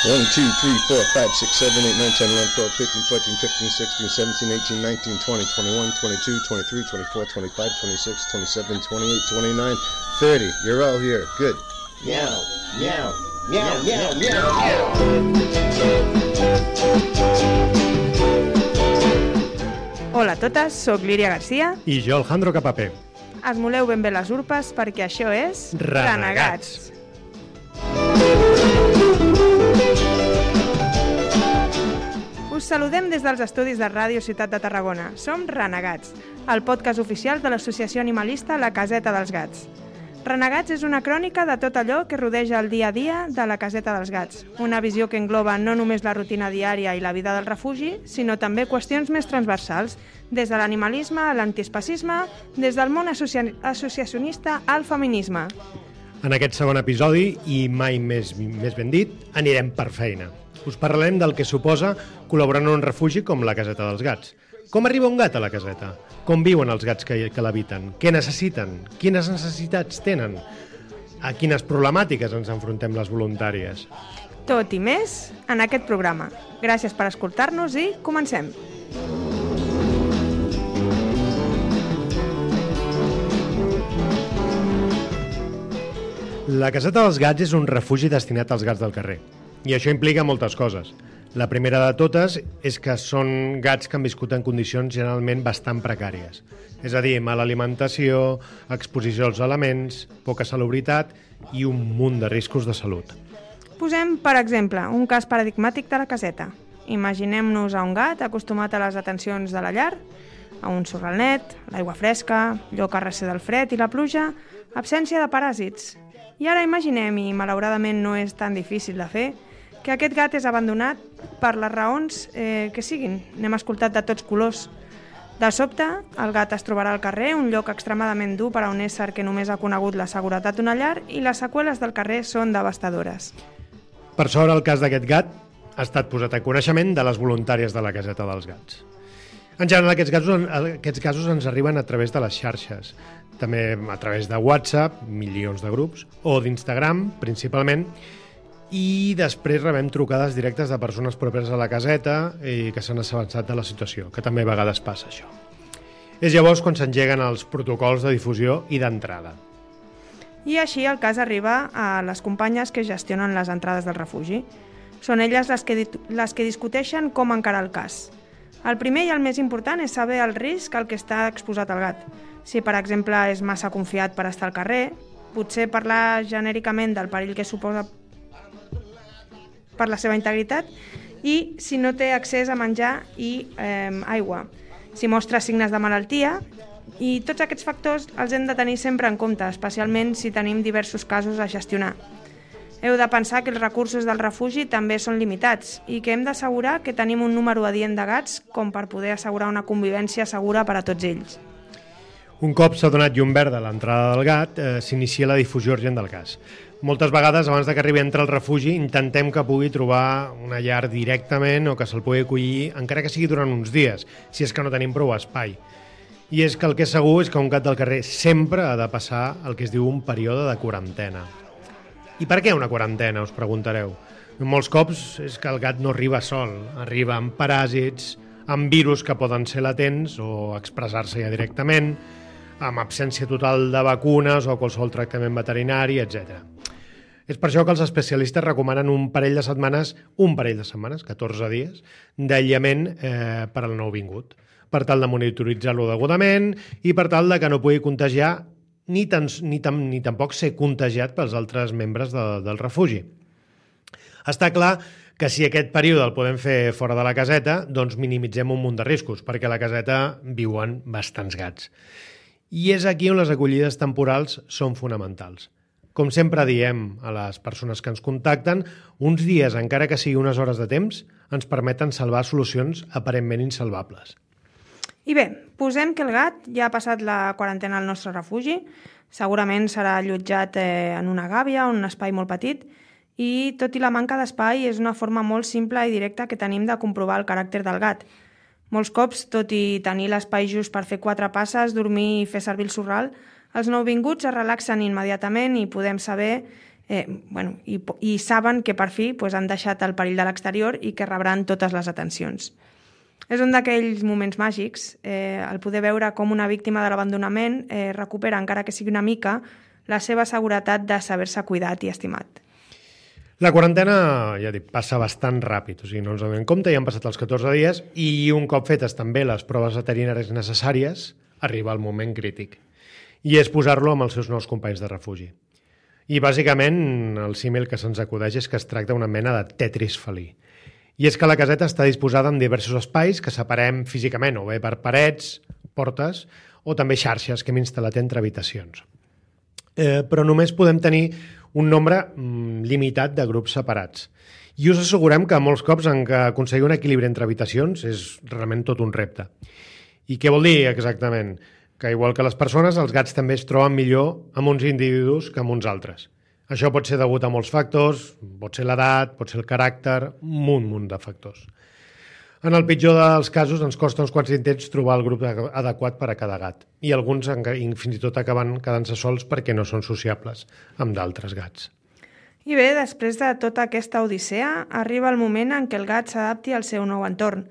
1, 2, 3, 4, 5, 6, 7, 8, 9, 10, 11, 12, 13, 14, 15, 16, 17, 18, 19, 20, 21, 22, 23, 24, 25, 26, 27, 28, 29, 30. You're all here. Good. Meow, meow, meow, meow, meow, meow. Hola a totes, soc Líria Garcia. I jo, Alejandro Capapé. Esmoleu ben bé les urpes perquè això és... Renegats. Us saludem des dels estudis de Ràdio Ciutat de Tarragona. Som Renegats, el podcast oficial de l'associació animalista La Caseta dels Gats. Renegats és una crònica de tot allò que rodeja el dia a dia de la Caseta dels Gats, una visió que engloba no només la rutina diària i la vida del refugi, sinó també qüestions més transversals, des de l'animalisme a l'antiespecisme, des del món associacionista al feminisme. En aquest segon episodi, i mai més ben dit, anirem per feina. Us parlarem del que suposa col·laborar en un refugi com la Caseta dels Gats. Com arriba un gat a la caseta? Com viuen els gats que l'habiten? Què necessiten? Quines necessitats tenen? A quines problemàtiques ens enfrontem les voluntàries? Tot i més en aquest programa. Gràcies per escoltar-nos i comencem. La Caseta dels Gats és un refugi destinat als gats del carrer. I això implica moltes coses. La primera de totes és que són gats que han viscut en condicions generalment bastant precàries. És a dir, mala alimentació, exposició als elements, poca salubritat i un munt de riscos de salut. Posem, per exemple, un cas paradigmàtic de la caseta. Imaginem-nos a un gat acostumat a les atencions de la llar, a un sorral net, l'aigua fresca, allò carresser del fred i la pluja, absència de paràsits. I ara imaginem, i malauradament no és tan difícil de fer, que aquest gat és abandonat per les raons que siguin. N'hem escoltat de tots colors. De sobte, el gat es trobarà al carrer, un lloc extremadament dur per a un ésser que només ha conegut la seguretat d'una llar, i les seqüeles del carrer són devastadores. Per sort, el cas d'aquest gat ha estat posat a coneixement de les voluntàries de la Caseta dels Gats. En general, aquests casos ens arriben a través de les xarxes, també a través de WhatsApp, milions de grups, o d'Instagram, principalment, i després rebem trucades directes de persones properes a la caseta i que s'han assabentat de la situació, que també a vegades passa això. És llavors quan s'engeguen els protocols de difusió i d'entrada. I així el cas arriba a les companyes que gestionen les entrades del refugi. Són elles les que discuteixen com encarar el cas. El primer i el més important és saber el risc al que està exposat el gat. Si, per exemple, és massa confiat per estar al carrer, potser parlar genèricament del perill que suposa per la seva integritat, i si no té accés a menjar i aigua, si mostra signes de malaltia, i tots aquests factors els hem de tenir sempre en compte, especialment si tenim diversos casos a gestionar. Heu de pensar que els recursos del refugi també són limitats i que hem d'assegurar que tenim un número adient de gats com per poder assegurar una convivència segura per a tots ells. Un cop s'ha donat llum verda a l'entrada del gat, s'inicia la difusió urgent del cas. Moltes vegades, abans de que arribi a entrar al refugi, intentem que pugui trobar una llar directament o que se'l pugui acollir, encara que sigui durant uns dies, si és que no tenim prou espai. I és que el que és segur és que un gat del carrer sempre ha de passar el que es diu un període de quarantena. I per què una quarantena, us preguntareu? Molts cops és que el gat no arriba sol, arriba amb paràsits, amb virus que poden ser latents o expressar-se ja directament, amb absència total de vacunes o qualsevol tractament veterinari, etc. És per això que els especialistes recomanen un parell de setmanes, 14 dies, d'aïllament per al nouvingut, per tal de monitoritzar-lo degudament i per tal de que no pugui contagiar ni tampoc ser contagiat pels altres membres del refugi. Està clar que si aquest període el podem fer fora de la caseta, doncs minimitzem un munt de riscos, perquè a la caseta viuen bastants gats. I és aquí on les acollides temporals són fonamentals. Com sempre diem a les persones que ens contacten, uns dies, encara que sigui unes hores de temps, ens permeten salvar solucions aparentment insalvables. I bé, posem que el gat ja ha passat la quarantena al nostre refugi, segurament serà allotjat en una gàbia o en un espai molt petit, i tot i la manca d'espai és una forma molt simple i directa que tenim de comprovar el caràcter del gat. Molts cops, tot i tenir l'espai just per fer 4 passes, dormir i fer servir el sorral, els nouvinguts es relaxen immediatament i podem saber i saben que per fi han deixat el perill de l'exterior i que rebran totes les atencions. És un d'aquells moments màgics, el poder veure com una víctima de l'abandonament recupera, encara que sigui una mica, la seva seguretat de saber-se cuidat i estimat. La quarantena, ja dic, passa bastant ràpid, o sigui, no ens donem compte, ja han passat els 14 dies i un cop fetes també les proves veterinàries necessàries, arriba el moment crític. I és posar-lo amb els seus nous companys de refugi. I bàsicament el símil que se'ns acudeix és que es tracta d'una mena de Tetris felí. I és que la caseta està disposada en diversos espais que separem físicament, o bé per parets, portes, o també xarxes que hem instal·lat entre habitacions. Però només podem tenir un nombre limitat de grups separats. I us assegurem que molts cops en què aconseguir un equilibri entre habitacions és realment tot un repte. I què vol dir exactament? Que igual que les persones, els gats també es troben millor amb uns individus que amb uns altres. Això pot ser degut a molts factors, pot ser l'edat, pot ser el caràcter, un munt de factors. En el pitjor dels casos ens costa uns quants intents trobar el grup adequat per a cada gat i alguns fins i tot acaben quedant-se sols perquè no són sociables amb d'altres gats. I bé, després de tota aquesta odissea, arriba el moment en què el gat s'adapti al seu nou entorn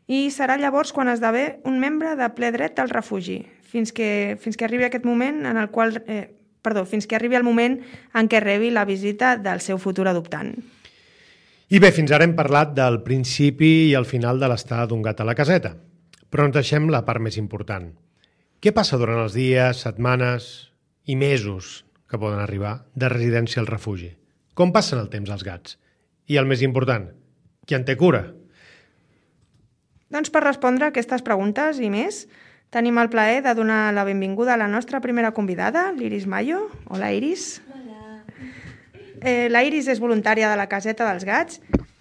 i serà llavors quan esdevé un membre de ple dret del refugi, fins que arribi aquest moment fins que arribi el moment en què rebi la visita del seu futur adoptant. I bé, fins ara hem parlat del principi i el final de l'estada d'un gat a la caseta, però ens deixem la part més important. Què passa durant els dies, setmanes i mesos que poden arribar de residència al refugi? Com passen el temps els gats? I el més important, qui en té cura? Doncs per respondre a aquestes preguntes i més, tenim el plaer de donar la benvinguda a la nostra primera convidada, l'Iris Mayo. Hola, Iris. La Iris és voluntària de la caseta dels gats.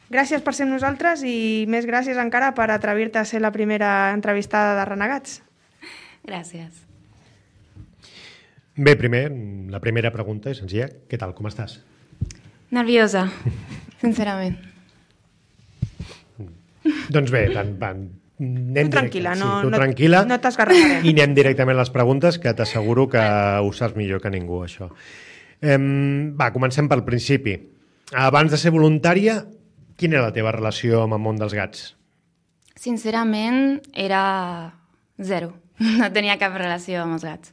Gràcies per ser amb nosaltres i més gràcies encara per atrevir-te a ser la primera entrevistada de Renegats. Gràcies. Bé, la primera pregunta és senzilla. Què tal, com estàs? Nerviosa, sincerament. Doncs bé, anem tranquil·la, tranquil·la, no t'esgarrafarem. I anem directament a les preguntes, que t'asseguro que ho saps millor que ningú, això. Comencem pel principi. Abans de ser voluntària, quina era la teva relació amb el món dels gats? Sincerament, era zero. No tenia cap relació amb els gats.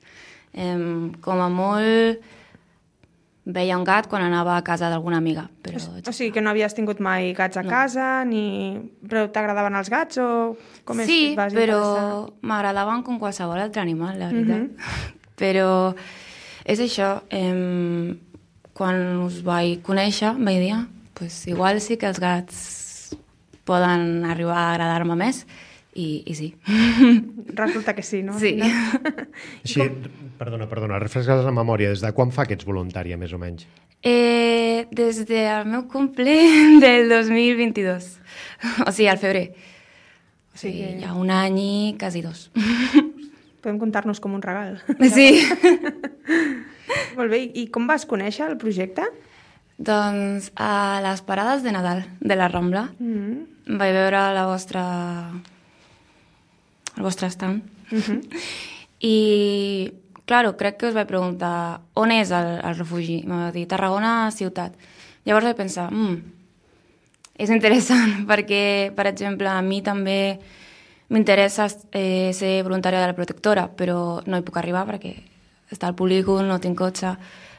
Com a molt, veia un gat quan anava a casa d'alguna amiga. Però... O sigui que no havies tingut mai gats a casa, però t'agradaven els gats o com és? Sí, però m'agradaven com qualsevol altre animal, la veritat. Però és això, quan us vaig conèixer, vaig dir, pues, igual sí que els gats poden arribar a agradar-me més, i sí. Resulta que sí, no? Sí. Així, perdona, refresques la memòria. Des de quan fa que ets voluntària, més o menys? Des del meu cumple del 2022. O sigui, al febrer. O sigui, ja un any i quasi 2. Podem comptar-nos com un regal. Sí. Molt bé, i com vas conèixer el projecte? Doncs a les parades de Nadal de la Rambla vaig veure el vostre stand. I, claro, crec que us vaig preguntar on és el refugi. Em va dir Tarragona ciutat. Llavors vaig pensar, és interessant perquè, per exemple, a mi també m'interessa ser voluntària de la protectora, però no hi puc arribar perquè està al polígon, no tinc cotxe.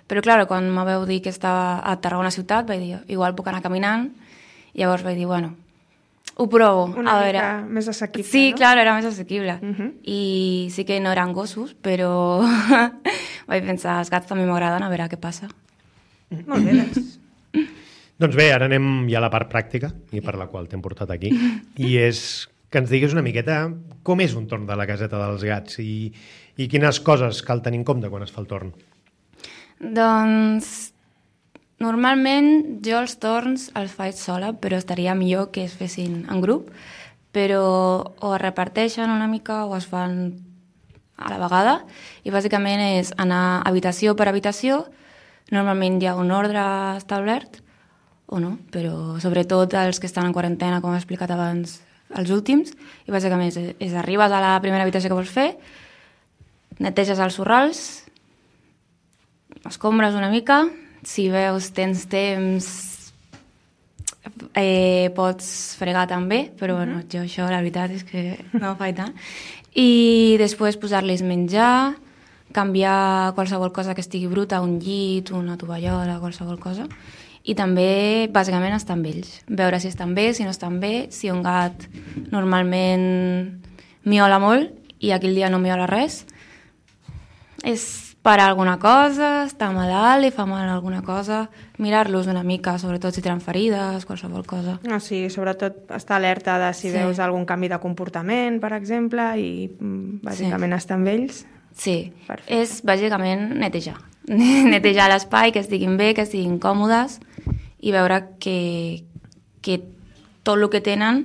Però, clar, quan me vau dir que estava a Tarragona ciutat, vaig dir, igual puc anar caminant. I llavors vaig dir, bueno, ho provo. Una mica més assequible, sí, no? Clar, era més assequible. I sí que no eren gossos, però vaig pensar, els gats també m'agraden, a veure què passa. Molt bé, doncs. Doncs bé, ara anem ja a la part pràctica, i per la qual t'hem portat aquí, i és que ens diguis una miqueta com és un torn de la caseta dels gats i quines coses cal tenir en compte quan es fa el torn. Doncs, normalment jo els torns els faig sola, però estaria millor que es fessin en grup, però o es reparteixen una mica o es fan a la vegada, i bàsicament és anar habitació per habitació. Normalment hi ha un ordre establert, o no, però sobretot els que estan en quarantena, com he explicat abans, els últims, i bàsicament és arribes a la primera habitació que vols fer, neteges els sorrals, escombres una mica, si veus, tens temps, pots fregar també, però bueno, jo això la veritat és que no ho faig tant. I després posar-los menjar, canviar qualsevol cosa que estigui bruta, un llit, una tovallola, qualsevol cosa. I també, bàsicament, estar amb ells. Veure si estan bé, si no estan bé, si un gat normalment miola molt i aquell dia no miola res, és parar alguna cosa, està malalt, li fa mal alguna cosa, mirar-los una mica, sobretot si tenen ferides, qualsevol cosa. Sí, sobretot estar alerta de si veus algun canvi de comportament, per exemple, i bàsicament estar amb ells. Sí, perfecte. És bàsicament netejar. Netejar l'espai, que estiguin bé, que estiguin còmodes i veure que tot el que tenen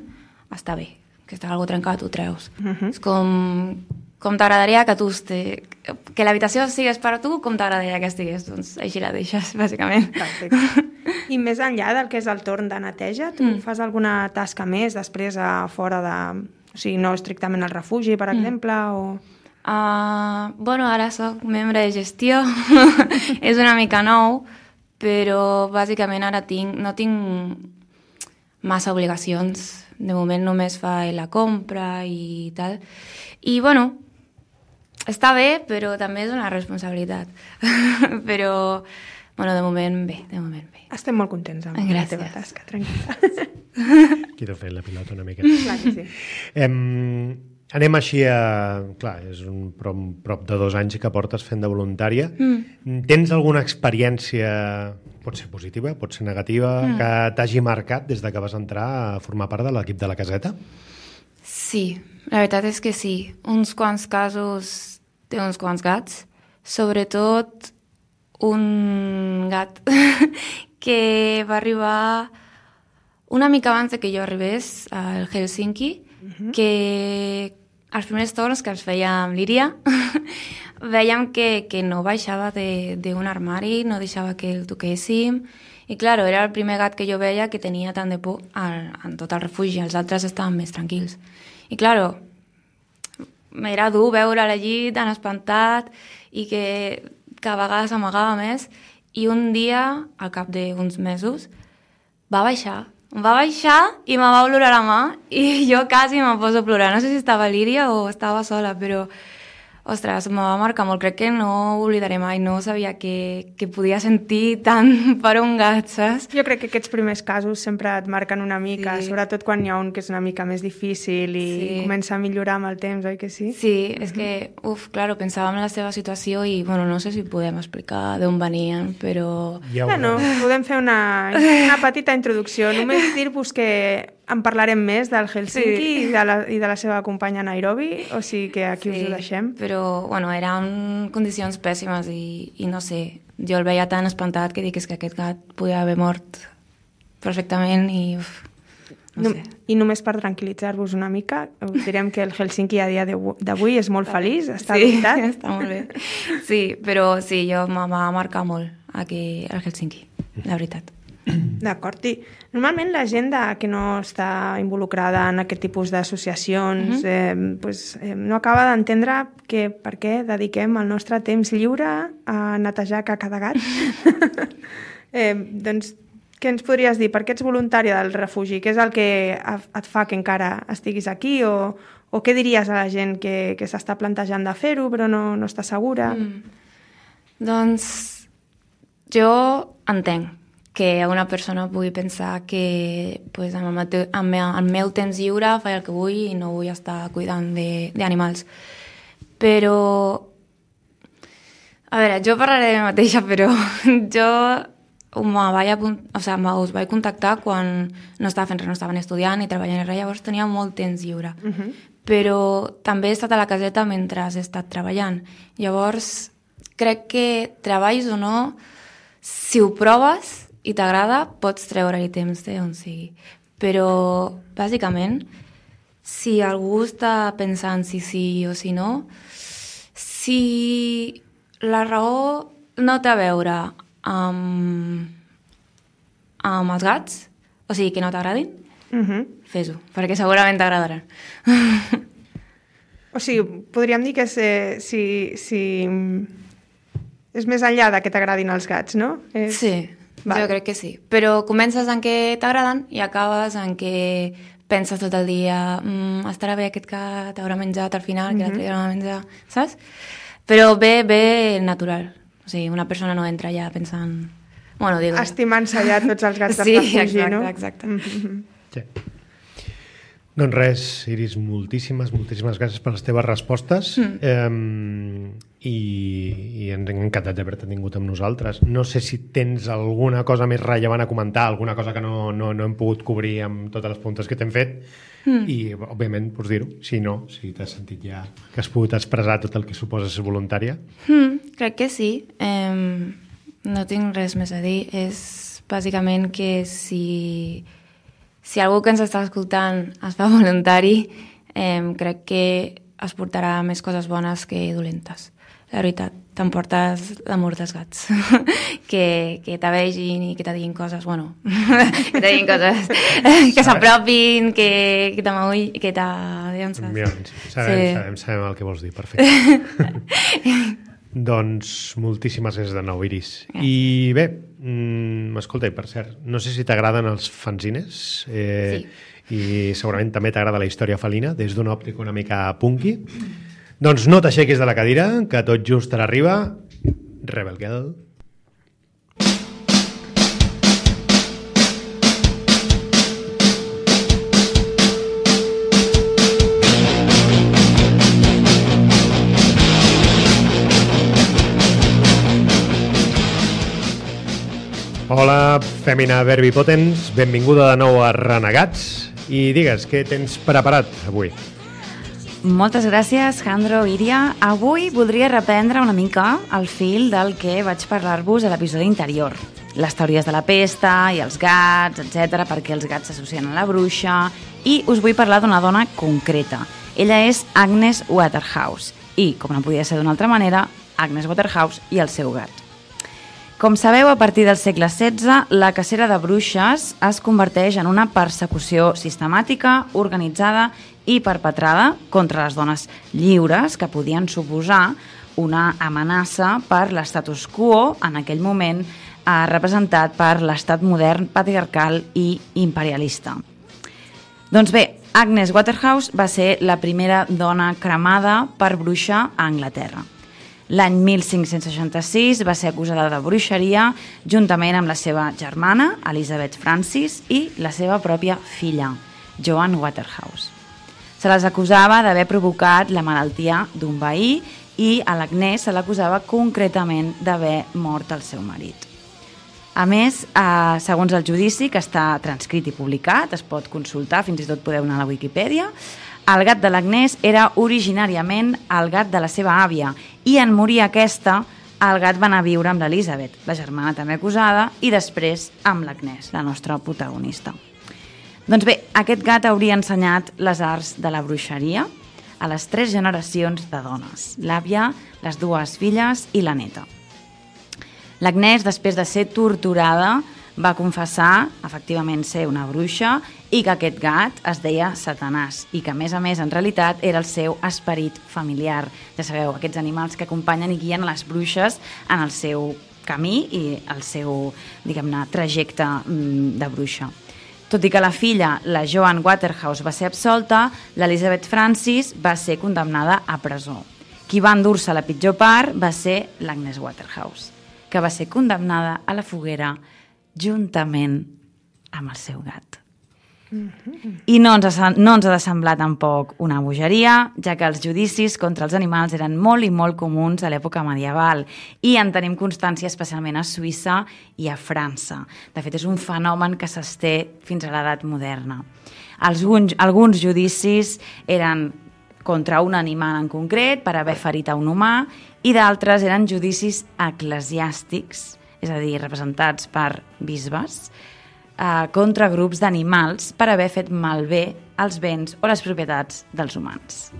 està bé, que està algo trencat, ho treus. És com t'agradaria que l'habitació sigués per a tu, com t'agradaria que estigués, doncs així la deixes, bàsicament. Perfecte. I més enllà del que és el torn de neteja, tu fas alguna tasca més després fora de... O sigui, no estrictament al refugi, per exemple, o... Bueno, ara soc membre de gestió, és una mica nou, però bàsicament ara no tinc massa obligacions. De moment només fa la compra i tal. I, bueno, està bé, però també és una responsabilitat. Però, bueno, de moment bé. Estem molt contents amb la teva tasca, tranquil·la. Quiero fer la pilota una miqueta. Clar que sí. Anem així a... Clar, és prop de 2 anys que portes fent de voluntària. Tens alguna experiència, pot ser positiva, pot ser negativa, que t'hagi marcat des de que vas entrar a formar part de l'equip de la caseta? Sí, la veritat és que sí. Uns quants casos té uns quants gats, sobretot un gat que va arribar una mica abans de que jo arribés al Helsinki, que els primers torns que els feia amb l'Íria veiem que no baixava d'un armari, no deixava que el toquéssim, i clar, era el primer gat que jo veia que tenia tant de por en tot el refugi, els altres estaven més tranquils. I clar, era dur veure al llit tan espantat i que a vegades amagava més, i un dia, al cap d'uns mesos, va baixar i me va olorar la mà i jo quasi me poso a plorar. No sé si estava l'Íria o estava sola, però, ostres, me va marcar molt. Crec que no ho oblidaré mai. No sabia que podia sentir tant per un gat, saps? Jo crec que aquests primers casos sempre et marquen una mica, sobretot quan hi ha un que és una mica més difícil i comença a millorar amb el temps, oi que sí? Sí, és que, claro, pensàvem en la seva situació i, bueno, no sé si podem explicar d'on venien, però... Bueno, podem fer una petita introducció. Només dir-vos que en parlarem més del Helsinki i de la seva companya Nairobi, o sigui que aquí us ho deixem. Però, bueno, eren condicions pèssimes i no sé, jo el veia tan espantat que dic que aquest gat podia haver mort perfectament i... No sé. I només per tranquil·litzar-vos una mica, us direm que el Helsinki a dia d'avui és molt feliç, està habitat. Sí, està molt bé. Sí, però sí, jo me va marcar molt aquí al Helsinki, la veritat. D'acord, i normalment la gent que no està involucrada en aquest tipus d'associacions no acaba d'entendre per què dediquem el nostre temps lliure a netejar caca de gat. Doncs, què ens podries dir? Per què ets voluntària del refugi? Què és el que et fa que encara estiguis aquí? O què diries a la gent que s'està plantejant de fer-ho però no està segura? Doncs jo entenc que una persona pugui pensar que amb el meu temps lliure faig el que vull i no vull estar cuidant d'animals. Però, a veure, jo parlaré de mi mateixa, però jo us vaig contactar quan no estava fent res, no estaven estudiant i treballant res, llavors tenia molt temps lliure. Però també he estat a la caseta mentre he estat treballant. Llavors, crec que treballis o no, si ho proves i t'agrada, pots treure-hi temps d'on sigui. Però, bàsicament, si algú està pensant si sí o si no, si la raó no té a veure amb els gats, o sigui, que no t'agradin, fes-ho, perquè segurament t'agradaran. O sigui, podríem dir que si És més enllà de que t'agradin els gats, no? Sí, jo crec que sí. Però comences en què t'agraden i acabes en què penses tot el dia estarà bé aquest gat, haurà menjat al final, que l'altre dia no va menjar, saps? Però bé natural. O sigui, una persona no entra ja pensant... Bueno, digo... Estimant-se ja tots els gats de refugi, no? Sí, exacte. Sí. Doncs res, Iris, moltíssimes gràcies per les teves respostes i ens hem encantat d'haver-te tingut amb nosaltres. No sé si tens alguna cosa més rellevant a comentar, alguna cosa que no hem pogut cobrir amb totes les preguntes que t'hem fet i, òbviament, pots dir-ho. Si no, si t'has sentit ja que has pogut expressar tot el que suposa ser voluntària. Crec que sí. No tinc res més a dir. És bàsicament que si algú que ens està escoltant es fa voluntari, crec que es portarà més coses bones que dolentes. La veritat, t'emportes l'amor dels gats. que te vegin i que te diguin coses, bueno, que te diguin coses, que s'apropin, que t'amagui, que sabem el que vols dir, perfecte. Doncs moltíssimes gràcies de nou, Iris. I bé, escolta, i per cert, no sé si t'agraden els fanzines, sí. I segurament també t'agrada la història felina, des d'una òptica una mica punky. Doncs no t'aixequis de la cadira, que tot just ara arriba Rebel Girl. Hola, Fèmina Verbipotens, benvinguda de nou a Renegats i digues, què tens preparat avui? Moltes gràcies, Jandro, Iria. Avui voldria reprendre una mica el fil del que vaig parlar-vos a l'episodi anterior. Les teories de la pesta i els gats, etc., perquè els gats s'associen a la bruixa, i us vull parlar d'una dona concreta. Ella és Agnes Waterhouse i, com no podia ser d'una altra manera, Agnes Waterhouse i el seu gat. Com sabeu, a partir del segle XVI, la cacera de bruixes es converteix en una persecució sistemàtica, organitzada i perpetrada contra les dones lliures que podien suposar una amenaça per l'estatus quo en aquell moment representat per l'estat modern, patriarcal i imperialista. Doncs bé, Agnes Waterhouse va ser la primera dona cremada per bruixa a Anglaterra. L'any 1566 va ser acusada de bruixeria juntament amb la seva germana, Elizabeth Francis, i la seva pròpia filla, Joan Waterhouse. Se les acusava d'haver provocat la malaltia d'un veí i a l'Agnès se l'acusava concretament d'haver mort el seu marit. A més, segons el judici, que està transcrit i publicat, es pot consultar, fins i tot podeu anar a la Wikipedia, el gat de l'Agnès era originàriament el gat de la seva àvia i en morir aquesta, el gat va anar a viure amb l'Elizabeth, la germana també acusada, i després amb l'Agnès, la nostra protagonista. Doncs bé, aquest gat hauria ensenyat les arts de la bruixeria a les 3 generacions de dones, l'àvia, les 2 filles i la neta. L'Agnès, després de ser torturada, va confessar, efectivament, ser una bruixa i que aquest gat es deia Satanàs i que, a més, en realitat, era el seu esperit familiar. Ja sabeu, aquests animals que acompanyen i guien les bruixes en el seu camí i el seu, diguem-ne, trajecte de bruixa. Tot i que la filla, la Joan Waterhouse, va ser absolta, l'Elizabeth Francis va ser condemnada a presó. Qui va endur-se la pitjor part va ser l'Agnes Waterhouse, que va ser condemnada a la foguera juntament amb el seu gat. I no ens ha de semblar tampoc una bogeria, ja que els judicis contra els animals eren molt i molt comuns a l'època medieval i en tenim constància especialment a Suïssa i a França. De fet, és un fenomen que s'esté fins a l'edat moderna. Alguns judicis eren contra un animal en concret per haver ferit a un humà i d'altres eren judicis eclesiàstics, és a dir, representats per bisbes, contra grups d'animals per haver fet malbé els béns o les propietats dels humans.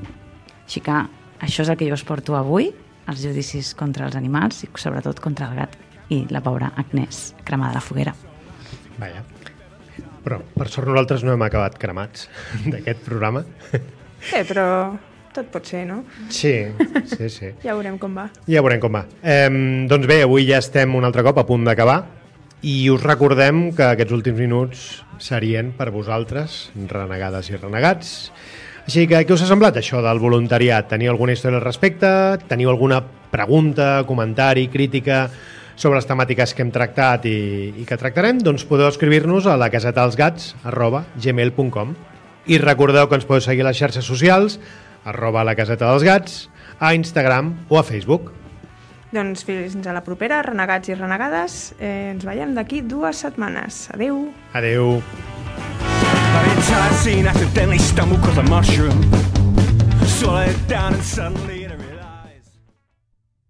Així que això és el que jo us porto avui, els judicis contra els animals i sobretot contra el gat i la pobra Agnès, cremada a la foguera. Vaja. Però per sort nosaltres no hem acabat cremats d'aquest programa. Però tot pot ser, no? Sí. Ja veurem com va. Doncs bé, avui ja estem un altre cop a punt d'acabar i us recordem que aquests últims minuts serien per vosaltres, renegades i renegats. Així que, què us ha semblat això del voluntariat? Teniu alguna història al respecte? Teniu alguna pregunta, comentari, crítica sobre les temàtiques que hem tractat i que tractarem? Doncs podeu escriure-nos a lacasetadelsgats@gmail.com i recordeu que ens podeu seguir a les xarxes socials @lacasetadelsgats, a Instagram o a Facebook. Doncs fins a la propera, renegats i renegades. Ens veiem d'aquí 2 setmanes. Adeu. Adeu. But it's I seen accidentally stumble 'cause a mushroom swallowed it down and suddenly